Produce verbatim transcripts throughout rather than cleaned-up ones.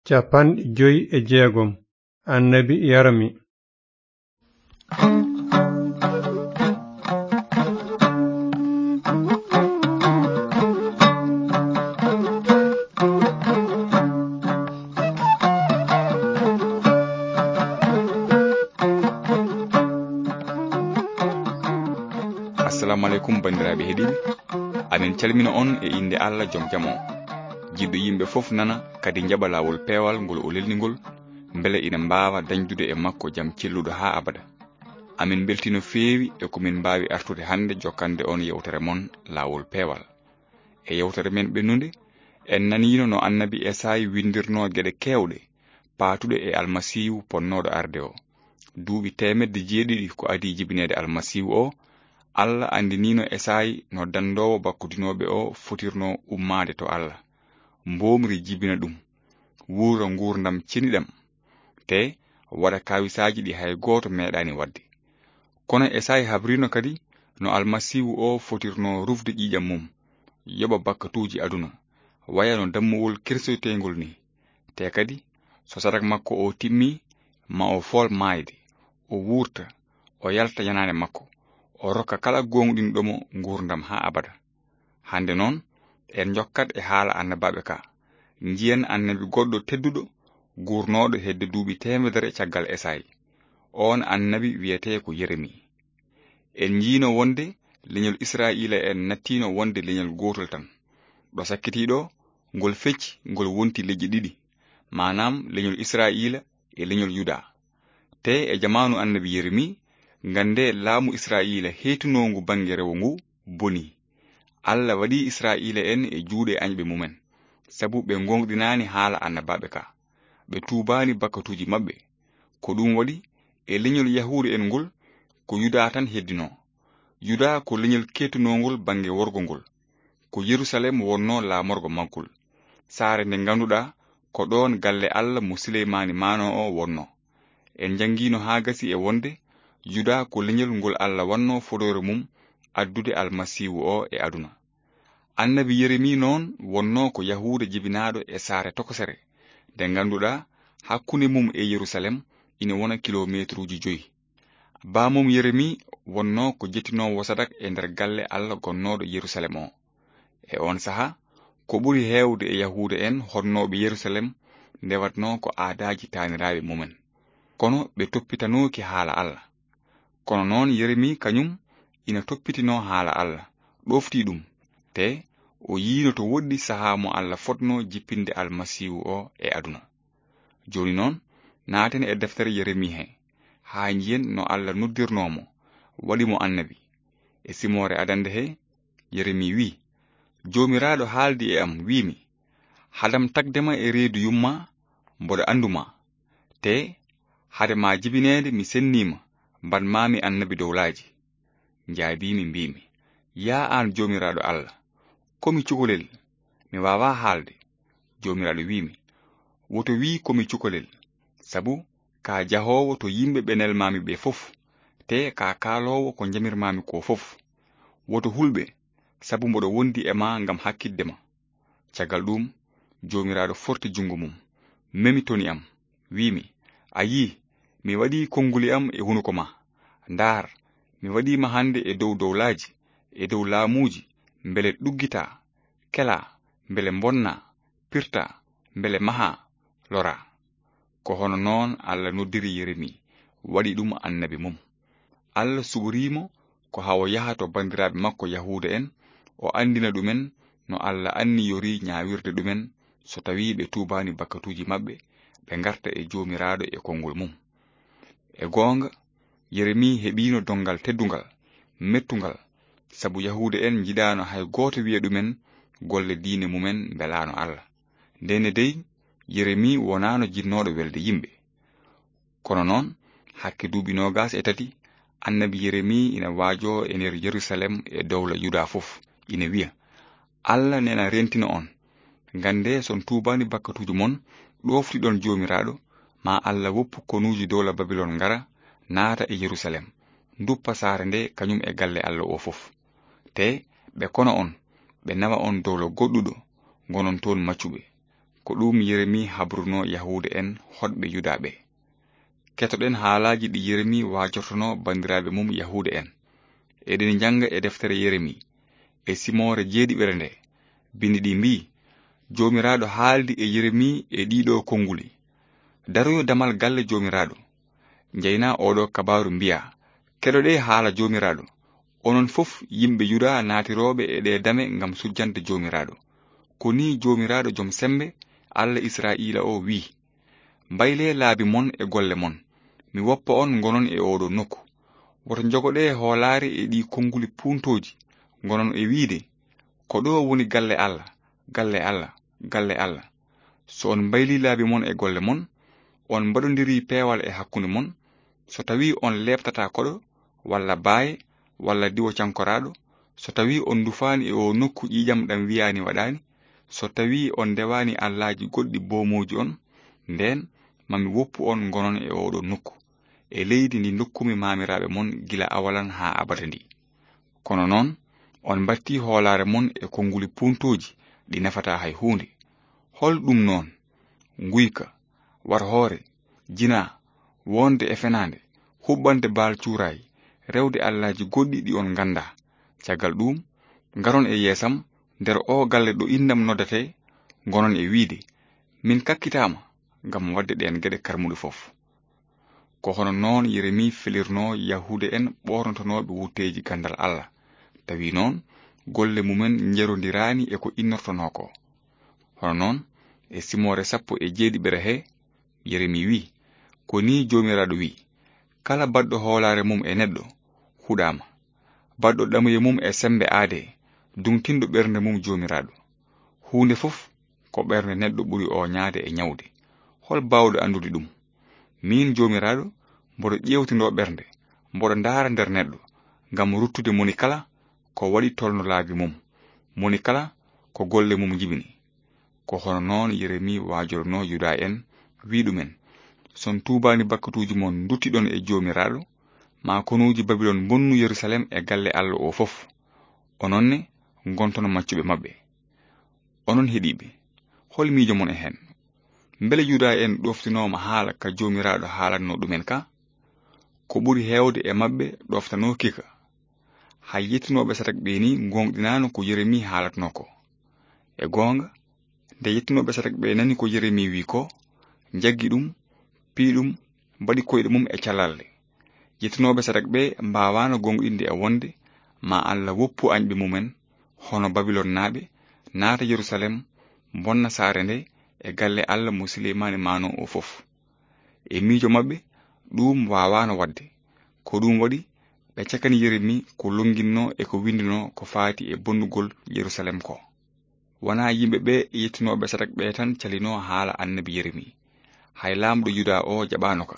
Cappanɗe joy e jeegom. Annabi Yeremi. Assalamu aleykum, banndiraaɓe heɗiiɓe. Amin calmina on e innde Allah, jom jam on. Jiɗɗo yimɓe fof nana, kadi njaɓa laawol peewal ngol o lelni ngol, mbele ina mbaawa dañdude e makko jam celluɗo haa abada. Amin mbeltii no feewi e ko min mbaawi artude hannde jokkande on yewtere mon Laawol Peewal. E yewtere men ɓennunde, en naniino no annabi Esaayi winndirnoo geɗe keewɗe paatuɗe e Almasiihu ponnooɗo arde o. Duuɓi teemedde jeeɗiɗi ko adii jibineede Almasiihu o, Allah anndiniino Esaayi no danndoowo bakkodinooɓe o fotirnoo ummaade to Allah, mboomri jibina ɗum, wuura nguurndam ceniɗam, te waɗa kaawisaaji ɗi hay gooto meeɗaani waɗde. Kono Esaayi habriino kadi no Almasiihu o fotirnoo rufde ƴiiƴam mum, yoɓa bakkatuuji aduna, waya no dammuwol kirsoyteengol ni. Te kadi, so sadak makko o timmi, ma o fool maayde, o wuurta, o yalta yanaande makko, o rokka kala gooŋɗinɗo mo nguurndam haa abada. Hannde noon, en njokkat e haala annabaaɓe ka. Njiyen annabi goɗɗo tedduɗo, guurnooɗo hedde duuɓi teemedere caggal Esaayi. Oon annabi wiyetee ko Yeremi. En njiino wonde leñol Israa'iila en nattiino wonde leñol gootol tan. Ɗo sakkitii ɗo, ngol fecci, ngol wonti leƴƴi ɗiɗi, maanaam leñol Israa'iila e leñol Yuda. Te e jamaanu annabi Yeremi, ngannde laamu Israa'iila heytunoongu bannge rewo ngu boni. Allah waɗi Israa'iila en e juuɗe añɓe mumen, sabu ɓe ngooŋɗinaani haala annabaaɓe ka. Ɓe tuubaani bakkatuuji maɓɓe. Ko ɗum waɗi, e leñol Yahuuda en ngol, ko Yuda tan heddinoo. Yuda ko leñol keetunoongol bannge worgo ngol. Ko Yerusalem wonnoo laamorgo maggol. Saare nde ngannduɗaa ko ɗoon galle Allah mo Suleymaani maanoo o wonnoo. En njanngiino haa gasi e wonde Yuda ko leñol ngol Allah wannoo fodoore mum addude Almasiihu o e aduna. Annabi Yeremi noon wonnoo ko Yahuuda jibinaaɗo e saare tokosere, nde ngannduɗaa hakkunde mum e Yerusalem ina wona kilomeetruuji joyi. Baamum Yeremi wonnoo ko jettinoowo sadak e nder galle Allah gonnooɗo Yerusalem o. E oon sahaa, ko ɓuri heewde e Yahuuda en honnooɓe Yerusalem ndewatnoo ko aadaaji taaniraaɓe mumen. Kono ɓe toppitanooki haala Allah. Kono noon Yeremi kañum ina toppitinoo haala Allah, ɗoftii ɗum, te o yiino to woɗɗi sahaa mo Allah fotnoo jippinde Almasiihu o e aduna. Jooni noon, naaten e deftere Yeremi he, haa njiyen no Allah noddirnoo mo, waɗi mo annabi. E simoore adannde he, Yeremi wi'i, "Joomiraaɗo haaldi e am, wi'mi, 'Hadam tagde ma e reedu yumma, mboɗo anndu ma. Te hade ma jibineede mi sennii ma, mbaɗ maami annabi dowlaaji.' Njaabiimi, mbiimi, 'Yaa aan Joomiraaɗo Allah, ko mi cukalel, mi waawaa haalde.' Joomiraaɗo wi'mi, 'Woto wi' ko mi cukalel, sabu ka jahoowo to yimɓe ɓe nelmaami ɓe fof, te ka kaaloowo ko njamirmaami ko fof. Woto hulɓe, sabu mboɗo wondi e ma ngam hakkitde ma.' Caggal ɗuum, Joomiraaɗo forti junngo mum, memi toni am, wi'mi, 'A yii, mi waɗii konnguli am e hunuko ma. Ndaar, mi waɗii ma hannde e dow dowlaaji, e dow laamuuji, mbele ɗuggitaa, kelaa, mbele mbonnaa, pirtaa, mbele mahaa, loraa.'" Ko hono noon Allah noddiri Yeremi, waɗi ɗum annabi mum. Allah suɓorii mo ko haa o yaha to banndiraaɓe makko Yahuuda en, o anndina ɗumen no Allah anniyorii ñaawirde ɗumen so tawii ɓe tuubaani bakkatuuji maɓɓe, ɓe ngarta e Joomiraaɗo e konngol mum. E goonga, Yeremi heɓiino donngal teddungal, mettungal, sabu Yahuuda en njiɗaano hay gooto wiya ɗumen golle diine mumen mbelaano Allah. Ndenne dey, Yeremi wonaano jinnooɗo welde yimɓe. Kono noon, hakke duuɓi noogas e tati, annabi Yeremi ina waajoo e nder Yerusalem e dowla Yuda fof, ina wiya, "Allah nena rentina on. Ngannde, so on tuubaani bakkatuuji mon, ɗooftiɗon Joomiraaɗo, ma Allah woppu konuuji dowla Babilon ngara, naata e Yerusalem, nduppa saare nde kañum e galle Allah o fof. Te ɓe kona on, ɓe nawa on dowla goɗɗuɗo, ngonon toon maccuɓe." Ko ɗum Yeremi habrunoo Yahuuda en hoɗɓe Yuda ɓe. Ketoɗen haalaaji ɗi Yeremi waajortonoo banndiraaɓe mum Yahuuda en. Eɗen njannga e deftere Yeremi, e simoore jeeɗiɓere nde. Binndi ɗi mbii, Joomiraaɗo haaldi e Yeremi e ɗiɗo konnguli. Daroyo damal galle Joomiraaɗo. Njeyna oɗo kabaaru mbiya, Keɗoɗee haala Joomiraaɗo, onon fof yimɓe Yuda naatirooɓe e ɗee dame ngam sujjande Joomiraaɗo. Ko nii Joomiraaɗo Jom Semmbe, Alla Israa'iila o wii, Mbaylee laabi mon e golle mon, mi woppa on ngonon e oɗo nokku. Woto njogoɗee hoolaare e ɗii konnguli puuntooji, ngonon e wiide, Ko ɗo woni galle Alla, galle Alla, galle Alla. So on mbaylii laabi mon e golle mon, on mbaɗondirii peewal e hakkunde mon, so tawii on leeptataa koɗo, walla baaye, walla diwo cankoraaɗo, so tawii on ndufaani e oo nokku ƴiiƴam ɗam wiyaani waɗaani, so tawii on ndewaani allaaji goɗɗi boomooji on, ndeen ma mi woppu on ngonon e oɗo nokku, e leydi ndi ndokkumi maamiraaɓe mon gila awalan haa abada ndi. Kono noon, on mbattii hoolaare mon e konnguli puuntooji ɗi nafataa hay huunde. Hol ɗum noon? Nguyka, warhoore, jinaa, wonde e fenaande, huɓɓande baal cuuraay, rewde allaaji goɗɗi ɗi on nganndaa. Caggal ɗuum, ngaron e yeesam nder oo galle ɗo innam noddatee, ngonon e wiide, Min kakkitaama ngam waɗde ɗeen geɗe karmuɗe fof. Ko hono noon Yeremi felirnoo Yahuuda en ɓoornotonooɓe wutteeji ganndal Alla. Tawi noon, golle mumen njerondiraani e ko innortonoo ko. Hono noon, e simoore sappo e jeeɗiɓere he, Yeremi wii, Ko nii Joomiraaɗo wii, Kala baɗɗo hoolaare mum e neɗɗo, huɗaama. Baɗɗo ɗamuye mum e semmbe aadee, duŋtinɗo ɓernde mum Joomiraaɗo. Huunde fof ko ɓernde neɗɗo ɓuri ooñaade e ñawde. Hol baawɗo anndude ɗum? Miin Joomiraaɗo, mboɗo ƴeewtindoo ɓernde, mboɗo ndaara nder neɗɗo, ngam ruttude moni kala ko waɗi tolno laabi mum, moni kala ko golle mum njibini. Ko hono noon Yeremi waajornoo Yuda en, wii ɗumen, So on tuubaani bakkatuuji mon nduttiɗon e Joomiraaɗo, ma konuuji Babilon mbonnu Yerusalem e galle Alla o fof. Onon ne, ngonton maccuɓe maɓɓe. Onon heɗiiɓe, hol miijo mon e heen? Mbele Yuda en ɗoftinooma haala ka Joomiraaɗo haalatnoo ɗumen ka? Ko ɓuri heewde e maɓɓe ɗoftanooki ka. Hay yettinooɓe Sadak ɓe nii ngooŋɗinaano ko Yeremi haalatnoo ko. E goonga, nde yettinooɓe Sadak ɓe nani ko Yeremi wii ko, njaggi ɗum, pii ɗum, mbaɗi koyɗe mum e calalde. Yettinooɓe Sadak ɓe mbaawaano gooŋɗinde e wonde ma Alla woppu añɓe mumen, hono Babilonnaaɓe, naata Yerusalem, mbonna saare nde e galle Alla mo Suleymaani maanoo o fof. E miijo maɓɓe, ɗuum waawaano waɗde. Ko ɗuum waɗi, ɓe cakani Yeremi ko lonnginnoo e ko winndunoo ko faati e bonnugol Yerusalem ko. Wonaa yimɓe ɓe yettinooɓe Sadak ɓe tan calinoo haala annabi Yeremi. Hay laamɗo Yuda o jaɓaano ka.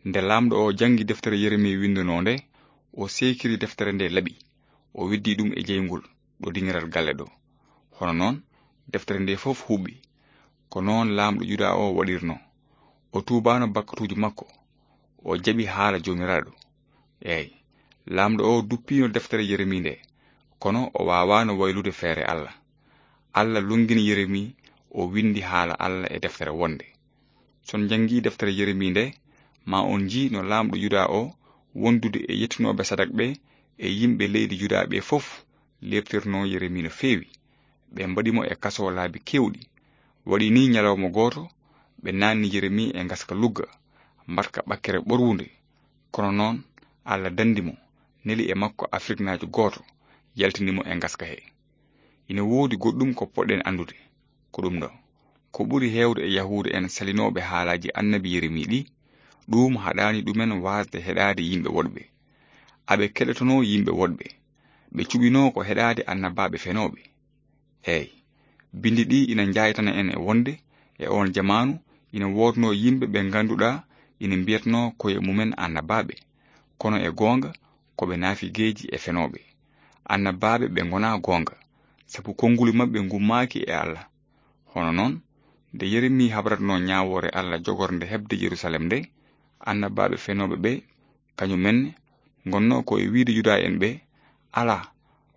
Nde laamɗo o janngi deftere Yeremi winndunoo nde, o seekiri deftere nde laɓi, o weddi ɗum e jeyngol ɗo dingiral galle ɗo. Hono noon, deftere nde fof huɓɓi. Ko noon laamɗo Yuda o waɗirnoo. O tuubaano bakkatuuji makko, o jaɓi haala Joomiraaɗo. Eey, laamɗo o duppiino deftere Yeremi nde, kono o waawaano waylude feere Alla. Alla lonngini Yeremi, o winndi haala Alla e deftere wonnde. So on njanngii deftere Yeremi nde, ma on njii no laamɗo Yuda o, wondude e yettinooɓe Sadak ɓe e yimɓe leydi Yuda ɓe fof, leeptirnoo Yeremi no feewi. Ɓe mbaɗi mo e kaso laabi keewɗi. Waɗi nii ñalawma gooto, ɓe naanni Yeremi e ngaska lugga, mbaɗka ɓakkere ɓorwunde. Kono noon, Alla danndi mo, neli e makko Afriknaajo gooto, yaltini mo e ngaska he. Ina woodi goɗɗum ko poɗɗen anndude. Ko ɗum ɗo. Ko ɓuri heewde e Yahuuda en salinooɓe haalaaji annabi Yeremi ɗi, ɗuum haɗaani ɗumen waasde heɗaade yimɓe woɗɓe. Aɓe keɗotonoo yimɓe woɗɓe. Ɓe cuɓinoo ko heɗaade annabaaɓe fenooɓe. Eey, binndi ɗi ina njaaytana en e wonde, e oon jamaanu, ina woodnoo yimɓe ɓe ngannduɗaa ina mbiyatnoo koye mumen annabaaɓe, kono e goonga, ko ɓe naafigeeji e fenooɓe. Annabaaɓe ɓe ngonaa goonga, sabu konnguli maɓɓe ngummaaki e Alla. Hono noon, nde Yeremi habratnoo ñaawoore Alla jogornde heɓde Yerusalem nde, annabaaɓe fenooɓe ɓe, kañum en ne, ngonnoo ko e wiyde Yuda en ɓe, Alaa,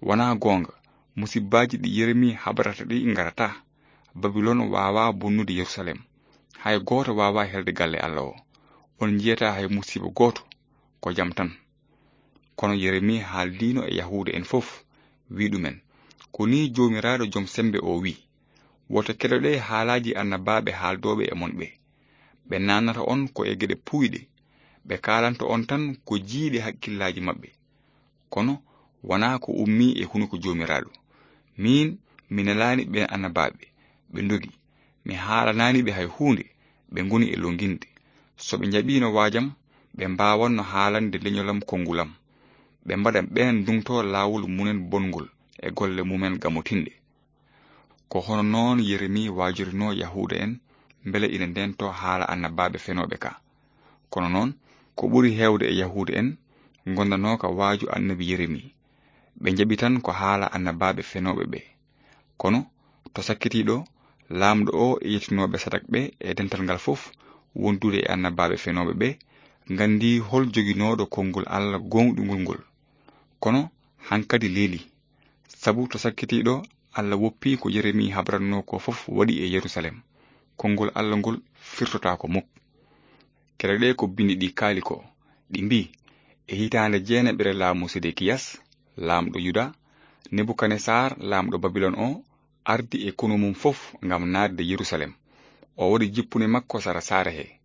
wonaa goonga, musibbaaji ɗi Yeremi habrata ɗi ngarataa. Babilon waawaa bonnude Yerusalem. Hay gooto waawaa helde galle Alla o. On njiyataa hay musiiba gooto, ko jam tan. Kono Yeremi haaldiino e Yahuuda en fof, wi'i ɗumen, "Ko nii Joomiraaɗo Jom Semmbe o wi'i, woto keɗoɗee haalaaji annabaaɓe haaldooɓe e mon ɓe. Ɓe naannata on ko e geɗe puuyɗe. Ɓe kaalanta on tan ko jiiɗe hakkillaaji maɓɓe. Kono wonaa ko ummii e hunuko Joomiraaɗo. Miin, mi nelaani ɓeen annabaaɓe, ɓe ndogi. Mi haalanaani ɓe hay huunde, ɓe ngoni e lonnginde. So ɓe njaɓiino waajam, ɓe mbaawanno haalande leñolam konngulam. Ɓe mbaɗa ɓeen nduŋtoo laawol mumen bonngol e golle mumen gamotinɗe." Ko hono noon Yeremi waajorinoo Yahuuda en, mbele ina ndeentoo haala annabaaɓe fenooɓe ka. Kono noon, ko ɓuri heewde e Yahuuda en ngondanooka waaju annabi Yeremi. Ɓe njaɓi tan ko haala annabaaɓe fenooɓe ɓe. Kono, to sakkitiiɗo, laamɗo o e yettinooɓe Sadak ɓe e dental ngal fof, wondude e annabaaɓe fenooɓe ɓe, nganndii hol joginooɗo konngol Alla gooŋɗungol ngol. Kono, hankadi leeli. Sabu to sakkitiiɗo, Alla woppii ko Yeremi habranoo ko fof waɗi e Yerusalem. Konngol Alla ngol firtotaako muk. Keɗoɗee ko binndi ɗi kaali ko. Ɗi mbii, e hitaande jeenaɓere laamu Sedekiyas, laamɗo Yuda, Nebukanesar, laamɗo Babilon o, ardi e konu mum fof ngam naatde Yerusalem. O waɗi jippune makko sara saare he.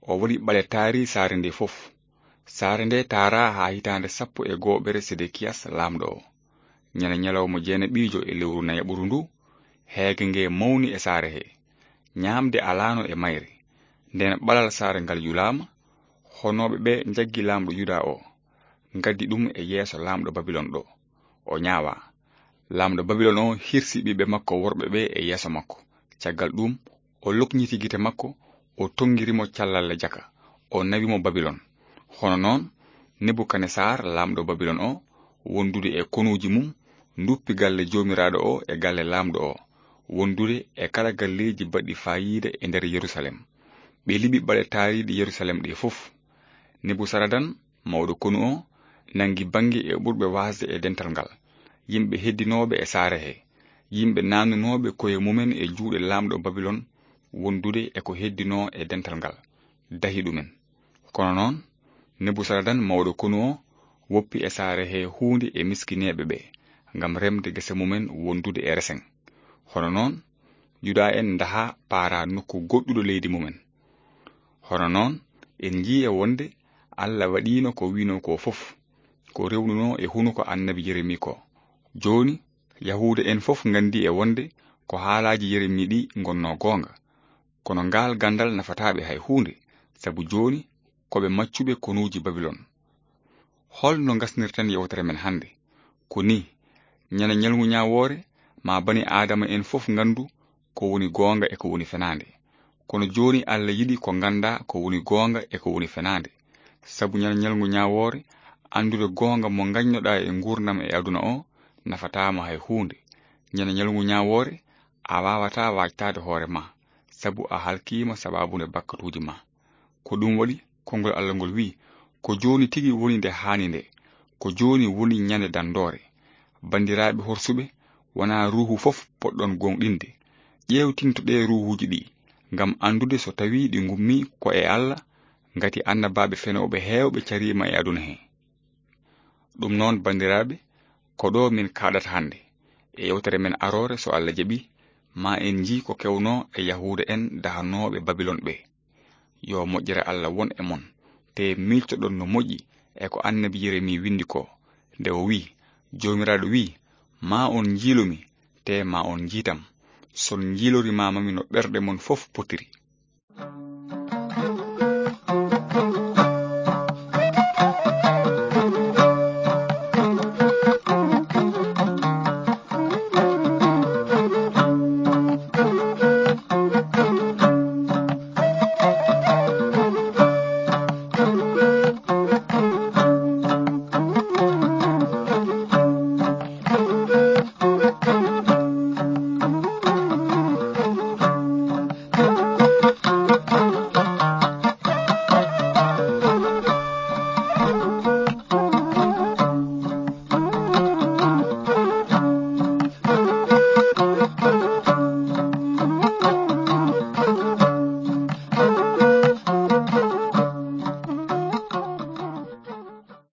O waɗi ɓale taari saare nde fof. Saare nde taaraa haa hitaande sappo e gooɓere Sedekiyas laamɗo o. Ñande ñalawma jeenaɓiijo e lewru nayaɓuru ndu, heege nge mawni e saare he. Ñaamde alaano e mayre. Ndeen ɓalal saare ngal yulaama, honooɓe ɓe njaggi laamɗo Yuda o, ngaddi ɗum e yeeso laamɗo Babilon ɗo. O ñaawaa. Laamɗo Babilon o hirsi ɓiɓɓe makko worɓe ɓe e yeeso makko. Caggal ɗum, o lokñiti gite makko, o tonngiri mo callalle jaka, o nawi mo Babilon. Hono noon, Nebukanesar, laamɗo Babilon o, wondude e konuuji mum, nduppi galle Joomiraaɗo o e galle laamɗo o, wondude e kala galleeji baɗɗi faayiida e nder Yerusalem. Ɓe liɓi ɓale taariiɗe Yerusalem ɗe fof. Nebusaradan, mawɗo konu o, nanngi bannge e ɓurɓe waasde e dental ngal, yimɓe heddinooɓe e saare he, yimɓe naannunooɓe koye mumen e juuɗe laamɗo Babilon, wondude e ko heddinoo e dental ngal, dahi ɗumen. Kono noon, Nebusaradan, mawɗo konu o, woppi e saare he huunde e miskineeɓe ɓe, ngam remde gese mumen wondude e resen. Hono noon, Yuda en ndaha paara nokku goɗɗuɗo leydi mumen. Hono noon, en njii e wonde Alla waɗiino ko wi'noo ko fof, ko rewnunoo e hunuko annabi Yeremi ko. Jooni, Yahuuda en fof nganndi e wonde ko haalaaji Yeremi ɗi ngonnoo goonga. Kono ngaal ganndal nafataa ɓe hay huunde, sabu jooni ko ɓe maccuɓe konuuji Babilon. Hol no ngasnirten yewtere men hannde? Ko nii, ñande ñalngu ñaawoore, ma bani Aadama en fof nganndu ko woni goonga e ko woni fenaande. Kono jooni Alla yiɗi ko nganndaa ko woni goonga e ko woni fenaande. Sabu ñande ñalngu ñaawoore, anndude goonga mo ngañnoɗaa e nguurndam e aduna o nafataa ma hay huunde. Ñande ñalngu ñaawoore, a waawataa waajtaade hoore ma, sabu a halkiima sabaabu nde bakkatuuji ma. Ko ɗum waɗi, konngol Alla ngol wi'i, ko jooni tigi woni nde haani nde, ko jooni woni ñande danndoore. Banndiraaɓe horsuɓe, wonaa ruuhu fof poɗɗon gooŋɗinde. Ƴeewtintoɗee ruuhuuji ɗi, ngam anndude so tawii ɗi ngummii ko e Alla, ngati annabaaɓe fenooɓe heewɓe cariima e aduna he. Ɗum noon, banndiraaɓe, ko ɗo min kaaɗata hannde. E yewtere men aroore, so Alla jaɓi, ma en njii ko kewnoo e Yahuuda en dahanooɓe Babilon ɓe. Yo moƴƴere Alla won e mon, te miiltoɗon no moƴƴi e ko annabi Yeremi winndi ko, nde o wi'i, "Joomiraaɗo wi'i, ma on njiilu mi, te ma on njiitam. Son njiilori ma mami no ɓerɗe mon fof potiri."